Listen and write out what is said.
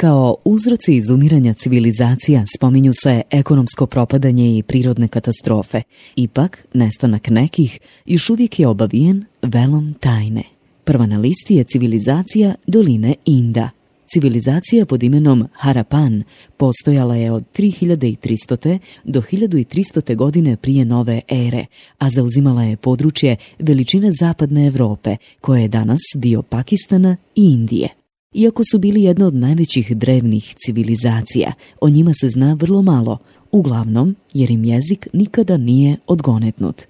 Kao uzroci izumiranja civilizacija spominju se ekonomsko propadanje i prirodne katastrofe. Ipak, nestanak nekih još uvijek je obavijen velom tajne. Prva na listi je civilizacija doline Inda. Civilizacija pod imenom Harapan postojala je od 3300. do 1300. godine prije nove ere, a zauzimala je područje veličine zapadne Europe, koje je danas dio Pakistana i Indije. Iako su bili jedna od najvećih drevnih civilizacija, o njima se zna vrlo malo, uglavnom jer im jezik nikada nije odgonetnut.